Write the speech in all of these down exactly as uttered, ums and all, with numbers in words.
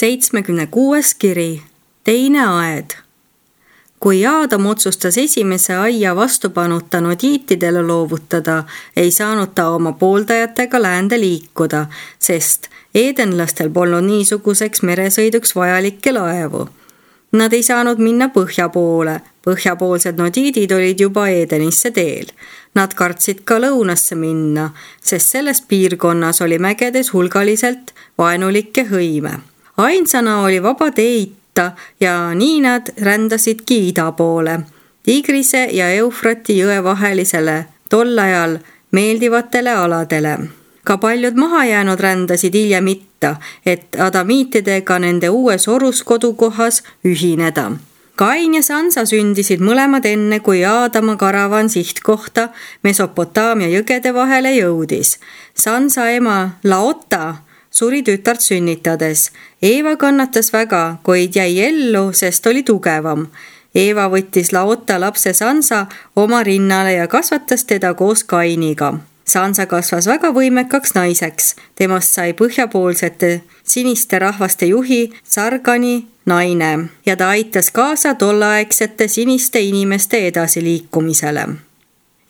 seitsmekümne kuues kiri, teine aed. Kui Aadam otsustas esimese aia vastupanuta nodiitidele loovutada, ei saanud ta oma pooldajatega läände liikuda, sest eedenlastel polnud niisuguseks meresõiduks vajalikke laevu. Nad ei saanud minna põhja poole, põhjapoolsed nodiidid olid juba Eedenisse teel. Nad kartsid ka lõunasse minna, sest selles piirkonnas oli mägedes hulgaliselt vaenulikke hõime. Ainsana oli vaba tee itta ja nii nad rändasidki ida poole, Tigrise ja Eufrati jõe vahelisele tol ajal meeldivatele aladele. Ka paljud mahajäänud rändasid hiljem itta, et adamiitidega nende uues oruskodukohas ühineda. Kain ja Sansa sündisid mõlemad enne, kui Aadama karavan sihtkohta Mesopotaamia jõgede vahele jõudis. Sansa ema Laota suri tütart sünnitades. Eeva kannatas väga, kuid jäi ellu, sest oli tugevam. Eeva võttis Laota lapse Sansa oma rinnale ja kasvatas teda koos Kainiga. Sansa kasvas väga võimekaks naiseks. Temast sai põhjapoolsete siniste rahvaste juhi Sargani naine ja ta aitas kaasa tollaegsete siniste inimeste edasiliikumisele.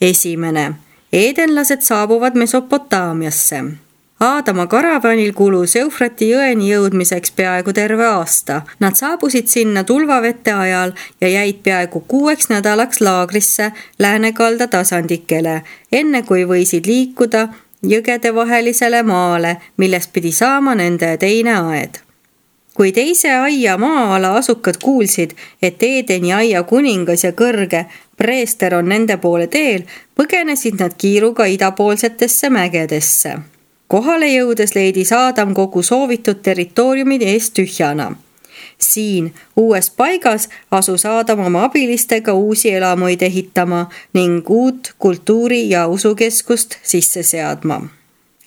Esimene. Eedenlased saabuvad Mesopotaamiasse. Aadama karavanil kulus Eufrati jõeni jõudmiseks peaaegu terve aasta. Nad saabusid sinna tulvavete ajal ja jäid peaaegu kuueks nädalaks laagrisse läänekalda tasandikele, enne kui võisid liikuda jõgede vahelisele maale, millest pidi saama nende teine aed. Kui teise aia maa-ala asukad kuulsid, et Eedeni aia kuningas ja kõrge preester on nende poole teel, põgenesid nad kiiruga idapoolsetesse mägedesse. Kohale jõudes leidis Aadam kogu soovitud territooriumid eest tühjana. Siin, uues paigas, asus Aadam oma abilistega uusi elamuid ehitama ning uut kultuuri- ja usukeskust sisse seadma.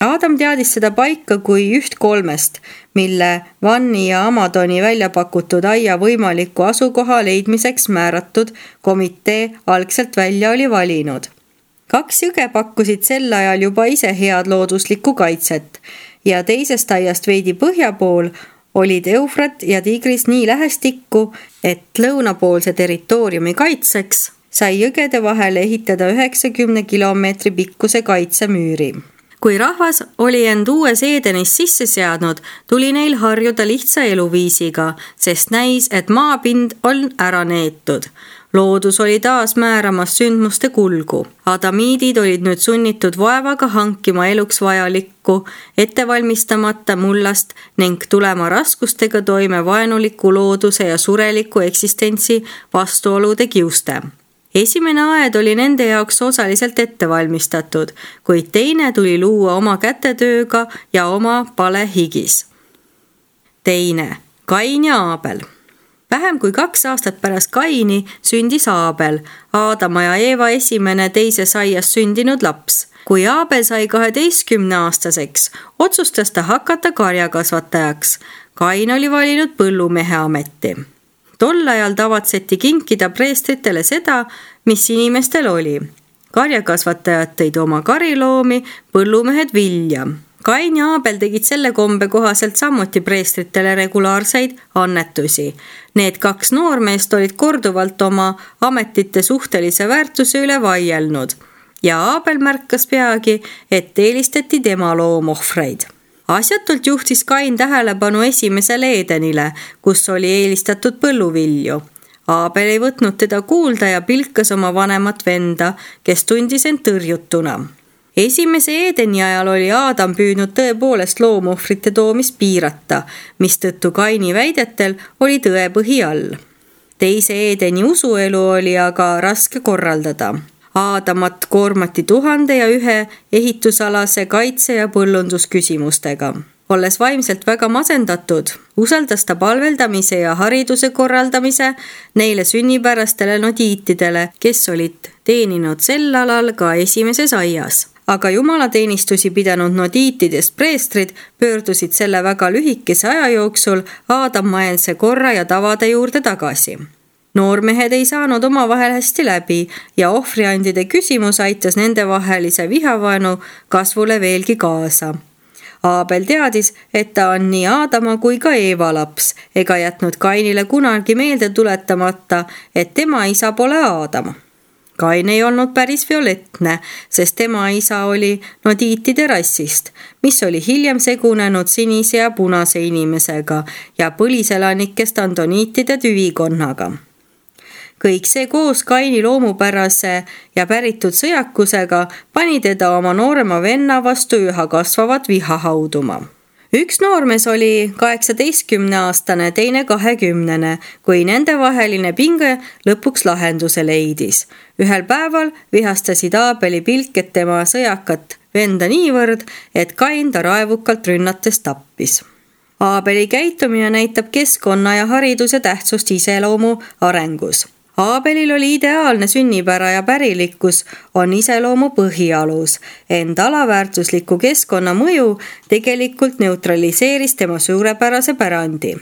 Aadam teadis seda paika kui üht kolmest, mille Vanni ja Amadoni välja pakutud aia võimaliku asukoha leidmiseks määratud komitee algselt välja oli valinud. Kaks jõge pakkusid sel ajal juba ise head looduslikku kaitset ja teisest aiast veidi põhja pool olid Eufrat ja Tigris nii lähestikku, et lõunapoolse territooriumi kaitseks sai jõgede vahele ehitada üheksakümne kilomeetri pikkuse kaitsemüüri. Kui rahvas oli end uues Eedenis sisse seadnud, tuli neil harjuda lihtsa eluviisiga, sest näis, et maapind on ära neetud. Loodus oli taas määramas sündmuste kulgu. Adamiidid olid nüüd sunnitud vaevaga hankima eluks vajalikku, ettevalmistamata mullast ning tulema raskustega toime vaenuliku looduse ja sureliku eksistentsi vastuolude kiuste. Esimene aed oli nende jaoks osaliselt ettevalmistatud, kuid teine tuli luua oma kätetööga ja oma palehigis. Teine. Kain ja Aabel. Vähem kui kaks aastat pärast Kaini sündis Aabel, Aadama ja Eeva esimene teises aias sündinud laps. Kui Aabel sai kaheteistkümne aastaseks, otsustas ta hakata karjakasvatajaks. Kain oli valinud põllumehe ameti. Tol ajal tavatseti kinkida preestritele seda, mis inimestel oli. Karjakasvatajad tõid oma kariloomi, põllumehed vilja. Kain ja Aabel tegid selle kombe kohaselt samuti preestritele regulaarseid annetusi. Need kaks noormeest olid korduvalt oma ametite suhtelise väärtuse üle vaielnud ja Aabel märkas peagi, et eelistati tema loomohvreid. Asjatult juhtis Kain tähelepanu esimesele Eedenile, kus oli eelistatud põlluvilju. Aabel ei võtnud teda kuulda ja pilkas oma vanemat venda, kes tundis end tõrjutuna. Esimese Eedeni ajal oli Aadam püüdnud tõepoolest loomohvrite toomist piirata, mistõttu Kaini väidetel oli tõepõhi all. Teise Eedeni usuelu oli aga raske korraldada. Aadamat koormati tuhande ja ühe ehitusalase kaitse- ja põllundusküsimustega. Olles vaimselt väga masendatud, usaldas ta palveldamise ja hariduse korraldamise neile sünnipärastele nodiitidele, kes olid teeninud sel alal ka esimeses aias. Aga jumalateenistusi pidanud nodiitidest preestrid pöördusid selle väga lühikese aja jooksul Aadamaense korra ja tavade juurde tagasi. Noormehed ei saanud omavahel hästi läbi ja ohvriandide küsimus aitas nende vahelise vihavaenu kasvule veelgi kaasa. Aabel teadis, et ta on nii Aadama kui ka Eeva laps, ega jätnud Kainile kunagi meelde tuletamata, et tema isa pole Aadam. Kain ei olnud päris violettne, sest tema isa oli nodiitide rassist, mis oli hiljem segunenud sinise ja punase inimesega ja põliselanikest andoniitide tüvikonnaga. Kõik see koos Kaini loomupärase ja päritud sõjakusega pani teda oma noorema venna vastu üha kasvavat viha hauduma. Üks noormees oli kaheksateistkümneaastane, teine kahekümnene, kui nende vaheline pinge lõpuks lahenduse leidis. Ühel päeval vihastasid Aabeli pilked tema sõjakat venda niivõrd, et Kain ta raevukalt rünnates tappis. Aabeli käitumine näitab keskkonna ja hariduse tähtsust iseloomu arengus. Aabelil oli ideaalne sünnipära ja pärilikkus on iseloomu põhialus, ent alaväärtusliku keskkonna mõju tegelikult neutraliseeris tema suurepärase pärandi.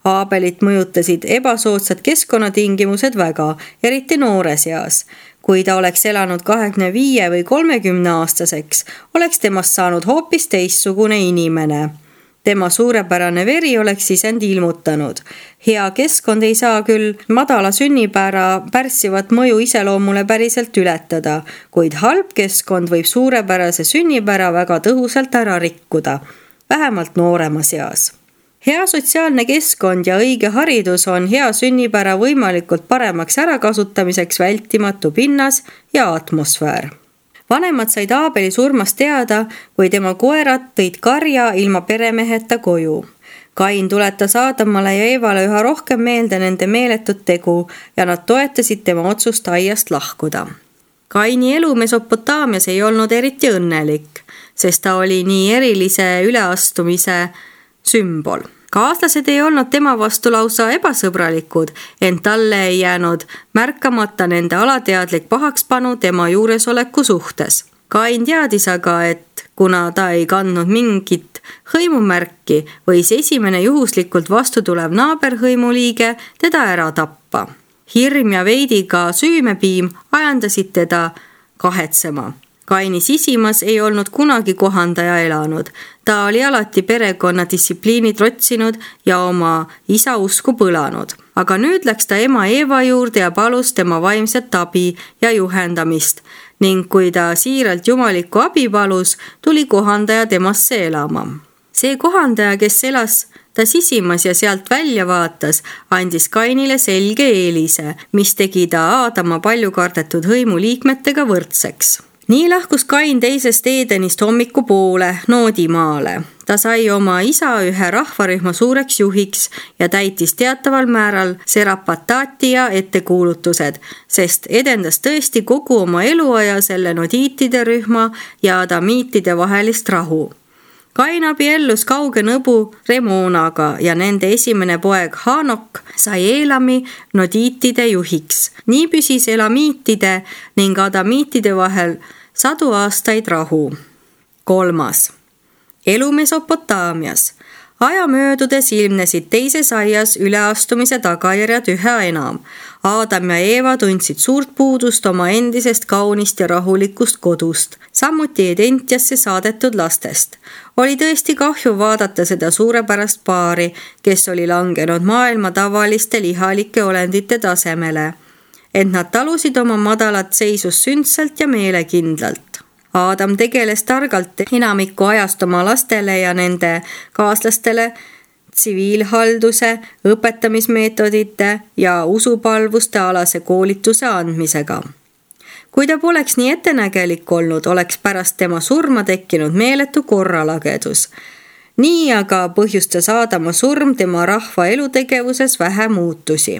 Aabelit mõjutasid ebasoodsad keskkonnatingimused väga, eriti noores eas. Kui ta oleks elanud kahekümne viie või kolmekümne aastaseks, oleks temast saanud hoopis teistsugune inimene. Tema suurepärane veri oleks sisend ilmutanud. Hea keskkond ei saa küll madala sünnipära pärssivat mõju iseloomule päriselt ületada, kuid halb keskkond võib suurepärase sünnipära väga tõhusalt ära rikkuda, vähemalt nooremas eas. Hea sotsiaalne keskkond ja õige haridus on hea sünnipära võimalikult paremaks ärakasutamiseks vältimatu pinnas ja atmosfäär. Vanemad said Aabeli surmast teada, kui tema koerad tõid karja ilma peremeheta koju. Kain tuletas Aadamale ja Eevale üha rohkem meelde nende meeletut tegu ja nad toetasid tema otsust aiast lahkuda. Kaini elu Mesopotaamias ei olnud eriti õnnelik, sest ta oli nii erilise üleastumise sümbol. Kaaslased ei olnud tema vastu lausa ebasõbralikud, ent talle ei jäänud märkamata nende alateadlik pahakspanu tema juuresoleku suhtes. Kain teadis aga, et kuna ta ei kandnud mingit hõimumärki, võis esimene juhuslikult vastu tulev naaberhõimuliige teda ära tappa. Hirm ja veidi ka süümepiim ajandasid teda kahetsema. Kaini sisimas ei olnud kunagi kohandaja elanud. Ta oli alati perekonna distsipliini trotsinud ja oma isa usku põlanud. Aga nüüd läks ta ema Eeva juurde ja palus tema vaimset abi ja juhendamist ning kui ta siiralt jumalikku abi palus, tuli kohandaja temasse elama. See kohandaja, kes elas ta sisimas ja sealt välja vaatas, andis Kainile selge eelise, mis tegi ta Aadama palju kardetud hõimuliikmetega võrdseks. Nii lahkus Kain teisest Eedenist hommiku poole Noodimaale. Ta sai oma isa ühe rahvarühma suureks juhiks ja täitis teataval määral Serapatatia ettekuulutused, sest edendas tõesti kogu oma eluaja selle nodiitide rühma ja adamiitide vahelist rahu. Kain abiellus kauge nõbu Remonaga ja nende esimene poeg Hanok sai Eelami nodiitide juhiks. Nii püsis elamiitide ning adamiitide vahel sadu aastaid rahu. Kolmas. Elu Mesopotaamias. Aja möödudes ilmnesid teises aias üleastumise tagajärjed üha enam. Aadam ja Eeva tundsid suurt puudust oma endisest kaunist ja rahulikust kodust, samuti Edentiasse saadetud lastest. Oli tõesti kahju vaadata seda suurepärast paari, kes oli langenud maailma tavaliste lihalike olendite tasemele. Ent nad talusid oma madalat seisus sündsalt ja meelekindlalt. Aadam tegeles targalt enamiku ajast oma lastele ja nende kaaslastele tsiviilhalduse, õpetamismeetodite ja usupalvuste alase koolituse andmisega. Kui ta poleks nii ettenägelik olnud, oleks pärast tema surma tekkinud meeletu korralagedus. Nii aga põhjustas Aadama surm tema rahva elutegevuses vähe muutusi.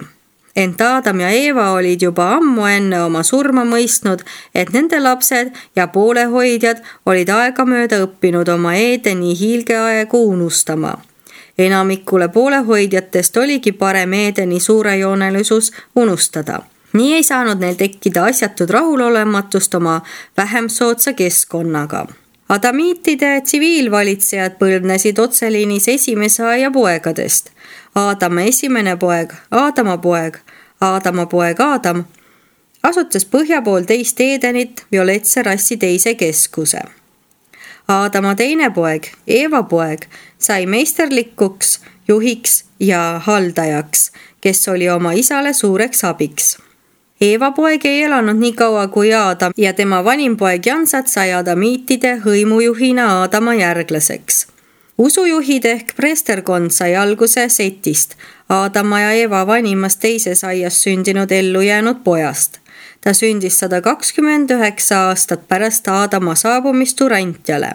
Ent Aadam ja Eeva olid juba ammu enne oma surma mõistnud, et nende lapsed ja poolehoidjad olid aegamööda õppinud oma Eedeni hiilgeaegu unustama. Enamikule poolehoidjatest oligi parem Eedeni suurejoonelisus unustada. Nii ei saanud neil tekkida asjatud rahulolematust oma vähem soodsa keskkonnaga. Adamiitide tsiviilvalitsejad põlvnesid otseliinis esimese aia poegadest. Aadama esimene poeg, Aadama poeg, Aadama poeg Aadam asutas põhja pool teist Eedenit violetse rassi teise keskuse. Aadama teine poeg, Eeva poeg, sai meisterlikuks juhiks ja haldajaks, kes oli oma isale suureks abiks. Eeva poeg ei elanud nii kaua kui Aadam ja tema vanim poeg Jansat sai adamiitide hõimujuhina Aadama järglaseks. Usujuhid ehk preesterkond sai alguse Setist, Aadama ja Eeva vanimast teises aias sündinud ellu jäänud pojast. Ta sündis sada kakskümmend üheksa aastat pärast Aadama saabumist Urantjale.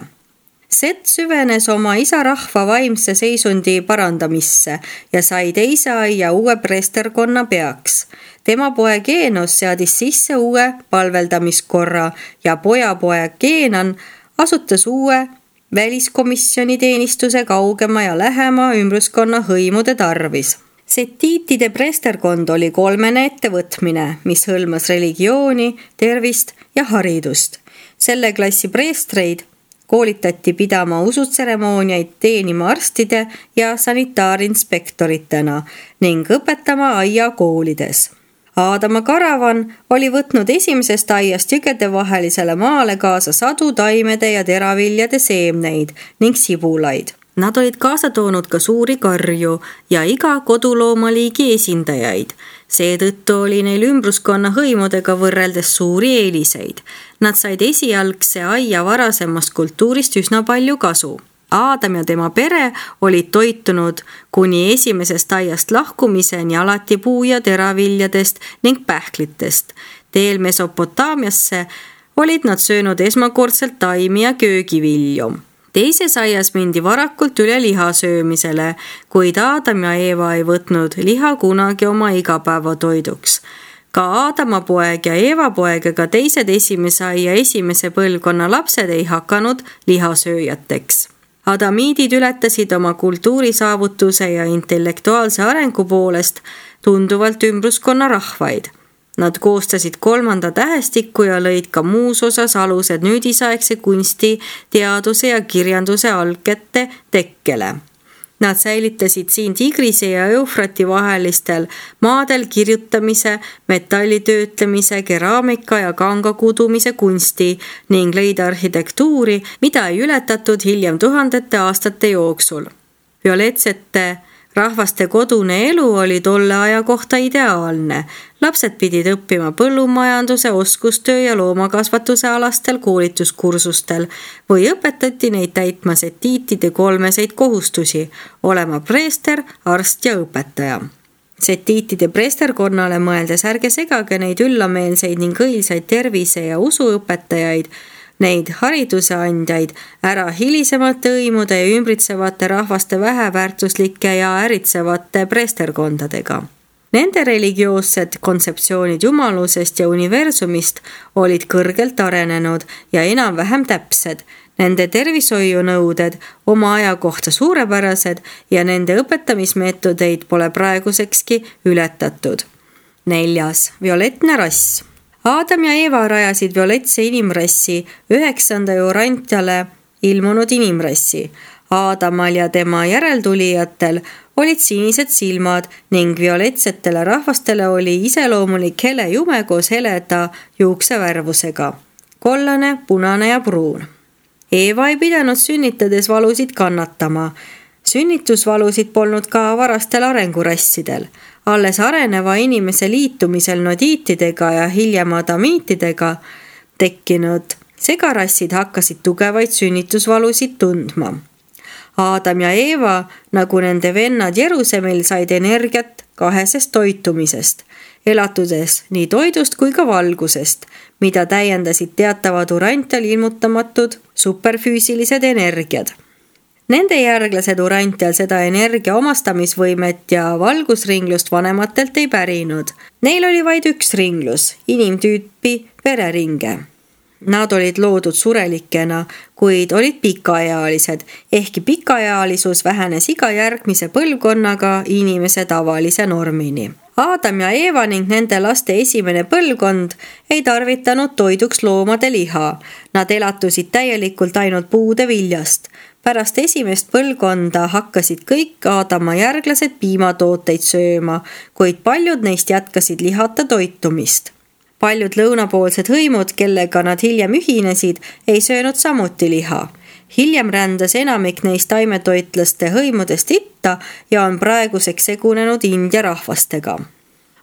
Set süvenes oma isa rahva vaimse seisundi parandamisse ja sai teise aia uue preesterkonna peaks. Tema poeg Eenos seadis sisse uue palveldamiskorra ja pojapoeg Keenan asutas uue väliskomisjoni teenistuse kaugema ja lähema ümbruskonna hõimude tarvis. Setiitide preesterkond oli kolmene ettevõtmine, mis hõlmas religiooni, tervist ja haridust. Selle klassi preestreid koolitati pidama usutseremooniaid, teenima arstide ja sanitaarinspektoritena ning õpetama aiakoolides. Aadama karavan oli võtnud esimesest aiast jõgedevahelisele maale kaasa sadu taimede ja teraviljade seemneid ning sibulaid. Nad olid kaasa toonud ka suuri karju ja iga koduloomaliigi esindajaid. Seetõttu oli neil ümbruskonna hõimudega võrreldes suuri eeliseid. Nad said esialgse aia varasemast kultuurist üsna palju kasu. Aadam ja tema pere olid toitunud kuni esimesest aiast lahkumiseni alati puu- ja teraviljadest ning pähklitest. Teel Mesopotaamiasse olid nad söönud esmakordselt taimi ja köögivilju. Teises aias mindi varakult üle liha söömisele, kuid Aadam ja Eeva ei võtnud liha kunagi oma igapäevatoiduks. Ka Aadama poeg ja Eeva poeg ega teised esimese aia esimese põlvkonna lapsed ei hakanud lihasööjateks. Adamiidid ületasid oma kultuurisaavutuse ja intellektuaalse arengu poolest tunduvalt ümbruskonna rahvaid. Nad koostasid kolmanda tähestikku ja lõid ka muus osas alused nüüdisaegse kunsti, teaduse ja kirjanduse algkette tekkele. Nad säilitasid siin Tigrise ja Eufrati vahelistel maadel kirjutamise, metallitöötlemise, keraamika ja kangakudumise kunsti ning lõid arhitektuuri, mida ei ületatud hiljem tuhandete aastate jooksul. Violetsete rahvaste kodune elu oli tolle aja kohta ideaalne. Lapsed pidid õppima põllumajanduse, oskustöö ja loomakasvatuse alastel koolituskursustel või õpetati neid täitma setiitide kolmeseid kohustusi, olema preester, arst ja õpetaja. Setiitide preesterkonnale mõeldes ärge segage neid üllameelseid ning õilsaid tervise- ja usuõpetajaid, neid hariduse andjaid ära hilisemate õimude ja ümbritsevate rahvaste väheväärtuslike ja äritsevate preesterkondadega. Nende religioossed kontseptsioonid jumalusest ja universumist olid kõrgelt arenenud ja enam-vähem täpsed. Nende tervishoiunõuded oma aja kohta suurepärased ja nende õpetamismeetodeid pole praegusekski ületatud. Neljas, violettne rass. Aadam ja Eeva rajasid violetse inimrassi üheksanda Urantjale ilmunud inimrassi. Aadamal ja tema järeltulijatel olid sinised silmad ning violetsetele rahvastele oli iseloomulik hele jume koos heleda juuksevärvusega. Kollane, punane ja pruun. Eeva ei pidanud sünnitades valusid kannatama. Sünnitusvalusid polnud ka varastel arengurassidel. Alles areneva inimese liitumisel nodiitidega ja hiljem adamiitidega tekkinud segarassid hakkasid tugevaid sünnitusvalusid tundma. Aadam ja Eeva, nagu nende vennad Jerusemil, said energiat kahesest toitumisest, elatudes nii toidust kui ka valgusest, mida täiendasid teatavad Urantjal ilmutamatud superfüüsilised energiad. Nende järglased Urantjal seda energia omastamisvõimet ja valgusringlust vanematelt ei pärinud. Neil oli vaid üks ringlus, inimtüüpi vereringe. Nad olid loodud surelikena, kuid olid pikaealised, ehkki pikaealisus vähenes iga järgmise põlvkonnaga inimese tavalise normini. Aadam ja Eeva ning nende laste esimene põlvkond ei tarvitanud toiduks loomade liha. Nad elatusid täielikult ainult puude viljast. Pärast esimest põlvkonda hakkasid kõik Aadama järglased piimatooteid sööma, kuid paljud neist jätkasid lihata toitumist. Paljud lõunapoolsed hõimud, kellega nad hiljem ühinesid, ei söönud samuti liha. hiljem rändas enamik neist taimetoitlaste hõimudest itta ja on praeguseks segunenud India rahvastega.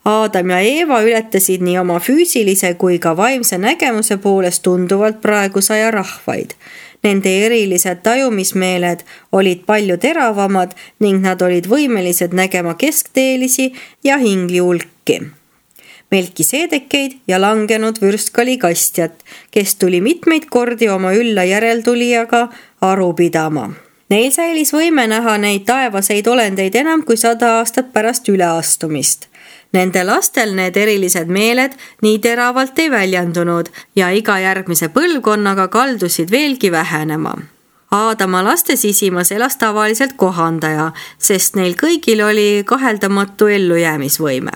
Aadam ja Eeva ületasid nii oma füüsilise kui ka vaimse nägemuse poolest tunduvalt praegusaja rahvaid. Nende erilised tajumismeeled olid palju teravamad ning nad olid võimelised nägema keskteelisi ja hingliulki. Melkiseedekeid ja langenud vürstkali kastjat, kes tuli mitmeid kordi oma ülla järeltulijaga aru pidama. Neil säilis võime näha neid taevaseid olendeid enam kui sada aastat pärast üleastumist. Nende lastel need erilised meeled nii teravalt ei väljendunud ja iga järgmise põlvkonnaga kaldusid veelgi vähenema. Aadama laste sisimas elas tavaliselt kohandaja, sest neil kõigil oli kaheldamatu ellujäämisvõime.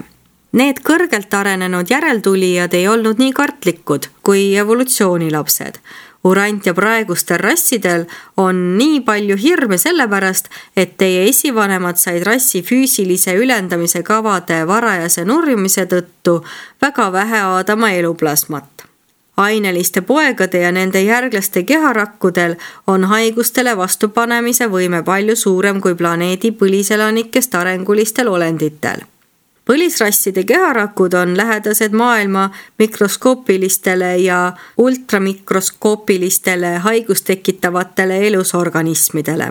Need kõrgelt arenenud järeltulijad ei olnud nii kartlikud kui evolutsioonilapsed. Urant ja praegustel rassidel on nii palju hirme sellepärast, et teie esivanemad said rassi füüsilise ülendamise kavade varajase nurjumise tõttu väga vähe Aadama eluplasmat. Aineliste poegade ja nende järglaste keharakkudel on haigustele vastupanemise võime palju suurem kui planeedi põliselanikest arengulistel olenditel. Põlisrasside keharakud on lähedased maailma mikroskoopilistele ja ultramikroskoopilistele haigustekitavatele elusorganismidele.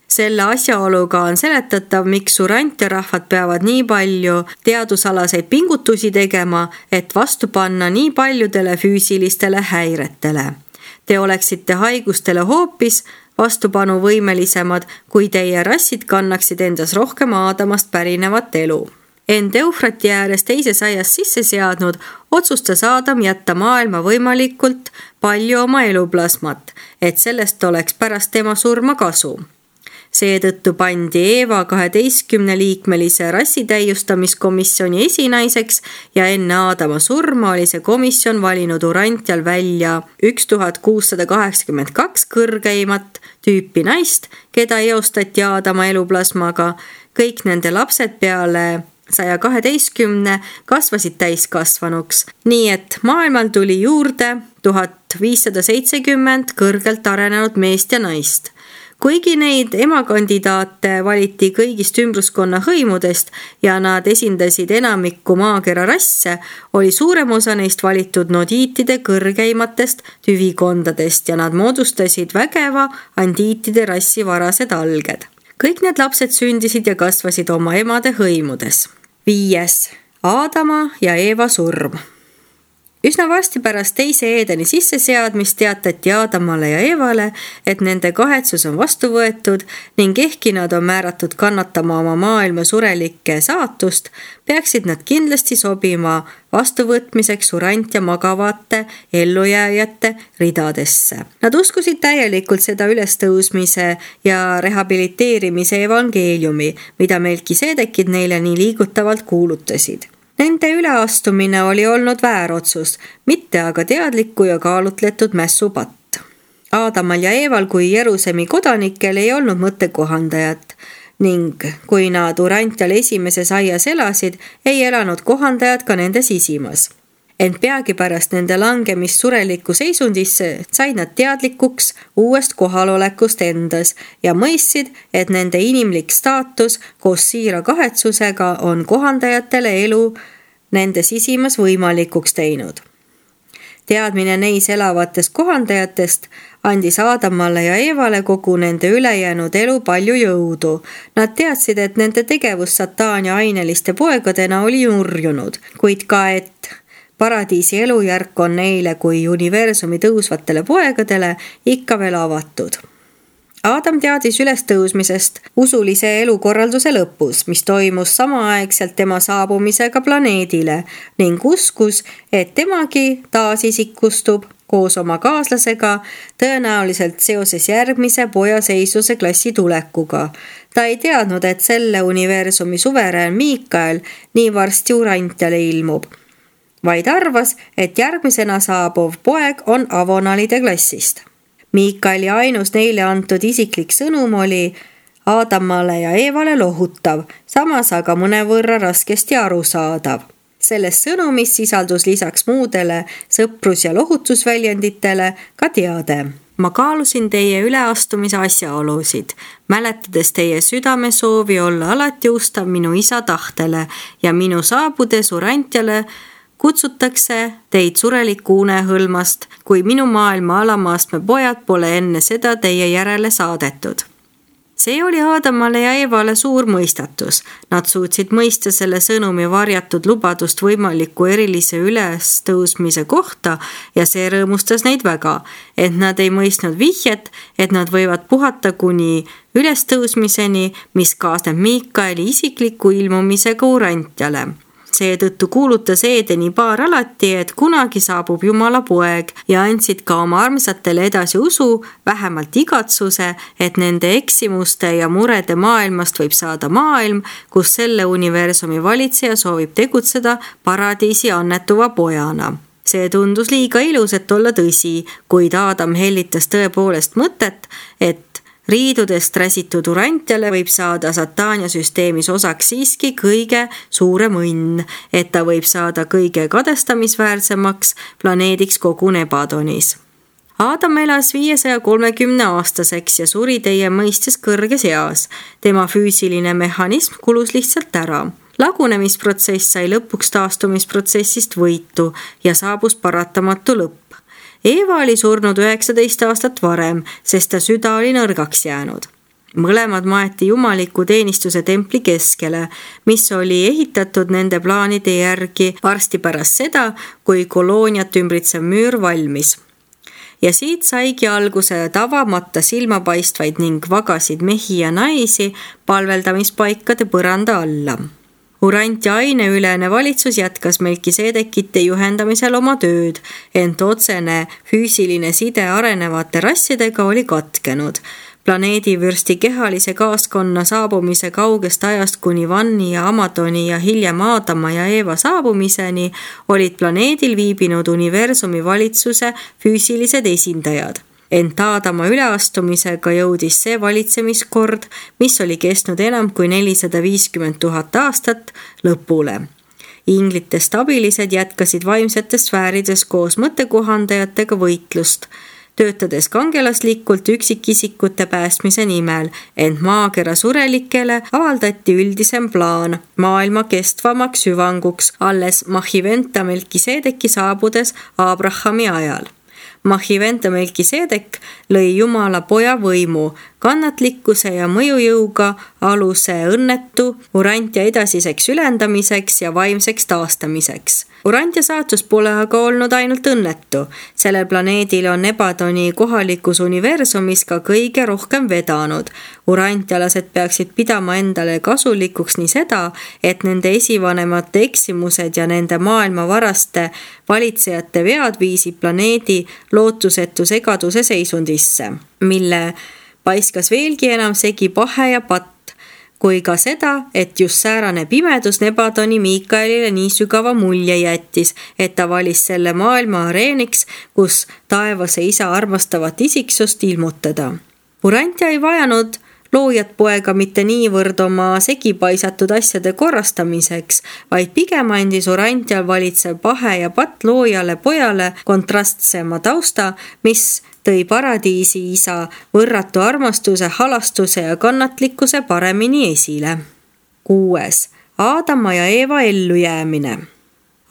Selle asjaoluga on seletatav, miks urantiarahvad peavad nii palju teadusalaseid pingutusi tegema, et vastu panna nii paljudele füüsilistele häiretele. Te oleksite haigustele hoopis vastupanuvõimelisemad, kui teie rassid kannaksid endas rohkem Aadamast pärinevat elu. End Eufrati ääres teises aias sisse seadnud, otsustas Aadam jätta maailma võimalikult palju oma eluplasmat, et sellest oleks pärast tema surma kasu. Seetõttu pandi Eeva kaheteistkümne liikmelise rassitäiustamiskomisjoni esinaiseks ja enne Aadama surma oli see komisjon valinud Urantial välja tuhat kuussada kaheksakümmend kaks kõrgeimat tüüpi naist, keda eostati Aadama eluplasmaga. Kõik nende lapsed peale saja kaheteistkümne kasvasid täiskasvanuks, nii et maailmal tuli juurde tuhat viissada seitsekümmend kõrgelt arenenud meest ja naist. Kuigi neid emakandidaate valiti kõigist ümbruskonna hõimudest ja nad esindasid enamikku maakera rasse, oli suurem osa neist valitud nodiitide kõrgeimatest tüvikondadest ja nad moodustasid vägeva andiitide rassi varased alged. Kõik need lapsed sündisid ja kasvasid oma emade hõimudes. Viies. Aadama ja Eeva surm. Üsna varsti pärast teise Eedeni sisseseadmist teatati Aadamale ja Eevale, et nende kahetsus on vastu võetud ning ehkki nad on määratud kannatama oma maailma surelikke saatust, peaksid nad kindlasti sobima vastuvõtmiseks urant ja magavate ellujääjate ridadesse. Nad uskusid täielikult seda ülestõusmise ja rehabiliteerimise evangeeliumi, mida Melkiseedekid neile nii liigutavalt kuulutasid. Nende üleastumine oli olnud väärotsus, mitte aga teadliku ja kaalutletud mässupatt. Aadamal ja Eeval kui Jerusemi kodanikel ei olnud mõttekohandajat ning kui nad Urantial esimeses aias elasid, ei elanud kohandajad ka nende sisimas. Ent peagi pärast nende langemist surelikku seisundisse said nad teadlikuks uuest kohalolekust endas ja mõistsid, et nende inimlik staatus koos siira kahetsusega on kohandajatele elu nende sisimas võimalikuks teinud. Teadmine neis elavatest kohandajatest andis Aadamale ja Eevale kogu nende ülejäänud elu palju jõudu. Nad teadsid, et nende tegevus sataania aineliste poegadena oli nurjunud, kuid ka, et paradiisi elujärk on neile kui universumi tõusvatele poegadele ikka veel avatud. Aadam teadis ülestõusmisest usulise elukorralduse lõpus, mis toimus samaaegselt tema saabumisega planeedile ning uskus, et temagi taasisikustub koos oma kaaslasega tõenäoliselt seoses järgmise poja seisluse klassi tulekuga. Ta ei teadnud, et selle universumi suverään Miikael nii varsti Urantiale ilmub, vaid arvas, et järgmisena saabuv poeg on Avonalide klassist. Miikaeli ainus neile antud isiklik sõnum oli Aadamale ja Eevale lohutav, samas aga mõnevõrra raskesti arusaadav. Selles sõnumis sisaldus lisaks muudele sõprus- ja lohutusväljenditele ka teade. ma kaalusin teie üleastumise asjaolusid, mäletades teie südame soovi olla alati ustav minu isa tahtele ja minu saabudes Urantjale kutsutakse teid sureliku unehõlmast, kui minu maailma alamaastme pojad pole enne seda teie järele saadetud. See oli Aadamale ja Eevale suur mõistatus. Nad suutsid mõista selle sõnumi varjatud lubadust võimaliku erilise ülestõusmise kohta ja see rõõmustas neid väga, et nad ei mõistnud vihjet, et nad võivad puhata kuni ülestõusmiseni, mis kaasneb Miikaeli isikliku ilmumisega Urantjale. Seetõttu kuulutas Eedeni paar alati, et kunagi saabub Jumala poeg ja andsid ka oma armsatele edasi usu, vähemalt igatsuse, et nende eksimuste ja murede maailmast võib saada maailm, kus selle universumi valitseja soovib tegutseda paradiisi annetuva pojana. See tundus liiga ilus, et olla tõsi, kuid Aadam hellitas tõepoolest mõtet, et riidudest räsitud Urantjale võib saada Sataania süsteemis osaks siiski kõige suurem õnn, et ta võib saada kõige kadestamisväärsemaks planeediks kogu Nebadonis. Aadam elas viiesaja kolmekümne aastaseks ja suri teie mõistes kõrges eas. Tema füüsiline mehhanism kulus lihtsalt ära. Lagunemisprotsess sai lõpuks taastumisprotsessist võitu ja saabus paratamatu lõpp. Eeva oli surnud üheksateist aastat varem, sest ta süda oli nõrgaks jäänud. Mõlemad maeti jumaliku teenistuse templi keskele, mis oli ehitatud nende plaanide järgi varsti pärast seda, kui kolooniat ümbritsev müür valmis. Ja siit saigi alguse tavamata silmapaistvaid ning vagasid mehi ja naisi palveldamispaikade põranda alla. Urantja aineülene valitsus jätkas Melkiseedekite juhendamisel oma tööd, ent otsene füüsiline side arenevate rassidega oli katkenud. Planeedivürsti kehalise kaaskonna saabumise kaugest ajast kuni Vanni ja Amadoni ja hiljem Aadama ja Eeva saabumiseni olid planeedil viibinud universumi valitsuse füüsilised esindajad. Ent Aadama üleastumisega jõudis see valitsemiskord, mis oli kestnud enam kui nelisada viiskümmend tuhat aastat, lõpule. Inglite stabilised jätkasid vaimsetes sfäärides koos mõttekohandajatega võitlust, töötades kangelaslikult üksikisikute päästmise nimel, ent maakera surelikele avaldati üldisem plaan maailma kestvamaks hüvanguks alles Mahiventa Melkiseedeki saabudes Abrahami ajal. Mahiventa Melkiseedek lõi Jumala poja võimu, kannatlikkuse ja mõjujõuga aluse õnnetu Urantja edasiseks ülendamiseks ja vaimseks taastamiseks. Urantja saatus pole aga olnud ainult õnnetu. Sellel planeedil on Nebadoni kohalikus universumis ka kõige rohkem vedanud. Urantjalased peaksid pidama endale kasulikuks nii seda, et nende esivanemate eksimused ja nende maailma varaste valitsejate vead viisid planeedi lootusetu segaduse seisundisse, mille paiskas veelgi enam segi pahe ja patt, kui ka seda, et just säärane pimedus Nebadoni Miikaelile nii sügava mulje jättis, et ta valis selle maailma areeniks, kus taevase isa armastavat isiksust ilmutada. Urantja ei vajanud loojat poega mitte niivõrd oma segipaisatud asjade korrastamiseks, vaid pigem andis Urantjal valitsev pahe ja patt loojale pojale kontrastsema tausta, mis tõi paradiisi isa võrratu armastuse, halastuse ja kannatlikkuse paremini esile. Kuues. Aadama ja Eeva ellujäämine.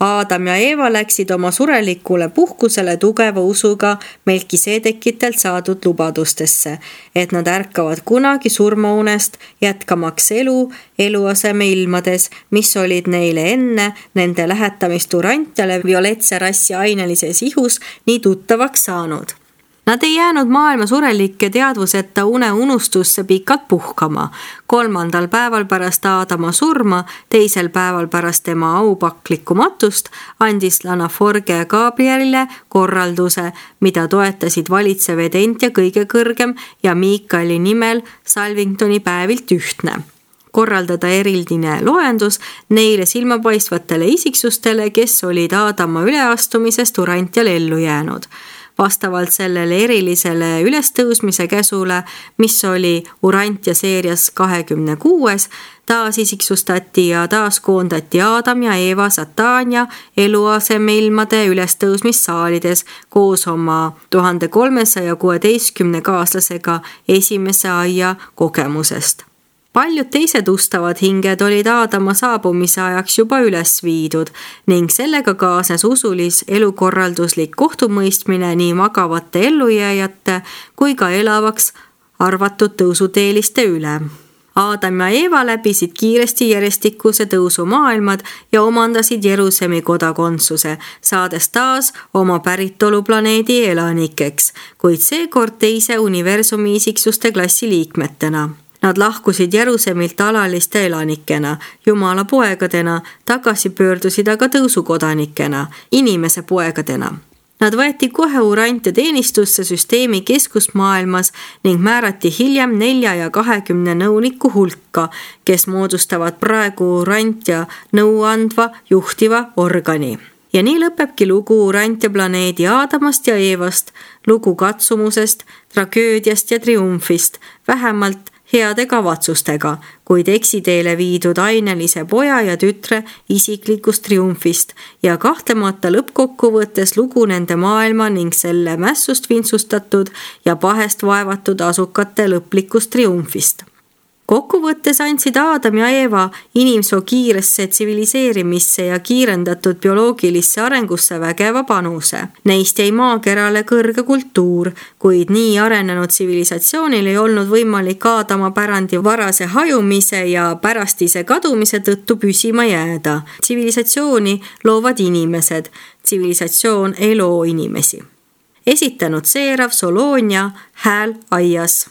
Aadam ja Eeva läksid oma surelikule puhkusele tugeva usuga Melkiseedekitelt saadud lubadustesse, et nad ärkavad kunagi surmaunest, jätkamaks elu eluaseme ilmades, mis olid neile enne nende lähetamist Urantjale violetse rassi ainelises ihus nii tuttavaks saanud. Nad ei jäänud maailma surelike teadvuseta une unustusse pikalt puhkama. Kolmandal päeval pärast Aadama surma, teisel päeval pärast tema aupaklikku matust, andis Lanaforge Gabrielile korralduse, mida toetasid valitsev edent ja kõige kõrgem ja Miikaeli nimel Salvingtoni päevilt ühtne. Korraldada erildine loendus neile silmapaistvatele isiksustele, kes olid Aadama üleastumisest Urantjal ellu jäänud. vastavalt sellele erilisele ülestõusmise käsule, mis oli Urantia seerias kahekümne kuues, taasisiksustati ja taaskoondati Aadam ja Eeva Satania eluasemeilmade ülestõusmissaalides koos oma tuhande kolmesaja kuueteistkümne kaaslasega esimese aia kogemusest. Paljud teised ustavad hinged olid Aadama saabumise ajaks juba üles viidud ning sellega kaasnes usulis elukorralduslik kohtumõistmine nii magavate ellujääjate kui ka elavaks arvatud tõusuteeliste üle. Aadam ja Eeva läbisid kiiresti järjestikuse tõusu maailmad ja omandasid Jerusemi kodakondsuse, saades taas oma päritoluplaneedi elanikeks, kuid seekord teise universumi isiksuste klassi liikmetena. Nad lahkusid Jerusemilt alaliste elanikena, Jumala poegadena, tagasi pöördusid aga tõusukodanikena, inimese poegadena. Nad võeti kohe Urantia teenistusse süsteemi keskusmaailmas ning määrati hiljem nelja ja kahekümne nõuniku hulka, kes moodustavad praegu Urantia nõuandva juhtiva organi. Ja nii lõpebki lugu Urantia planeedi Aadamast ja Eevast, lugu katsumusest, tragöödiast ja triumfist, vähemalt heade kavatsustega, kuid eksiteele viidud ainelise poja ja tütre isiklikust triumfist ja kahtlemata lõppkokkuvõttes lugu nende maailma ning selle mässust vintsustatud ja pahest vaevatud asukate lõplikust triumfist. Kokkuvõttes andsid Aadam ja Eeva inimsoo kiiresse tsiviliseerimisse ja kiirendatud bioloogilisse arengusse vägeva panuse. Neist jäi maakerale kõrge kultuur, kuid nii arenenud tsivilisatsioonil ei olnud võimalik Aadama pärandi varase hajumise ja pärastise kadumise tõttu püsima jääda. Tsivilisatsiooni loovad inimesed, tsivilisatsioon ei loo inimesi. Esitanud Seerav Soloonia, Hääl aias.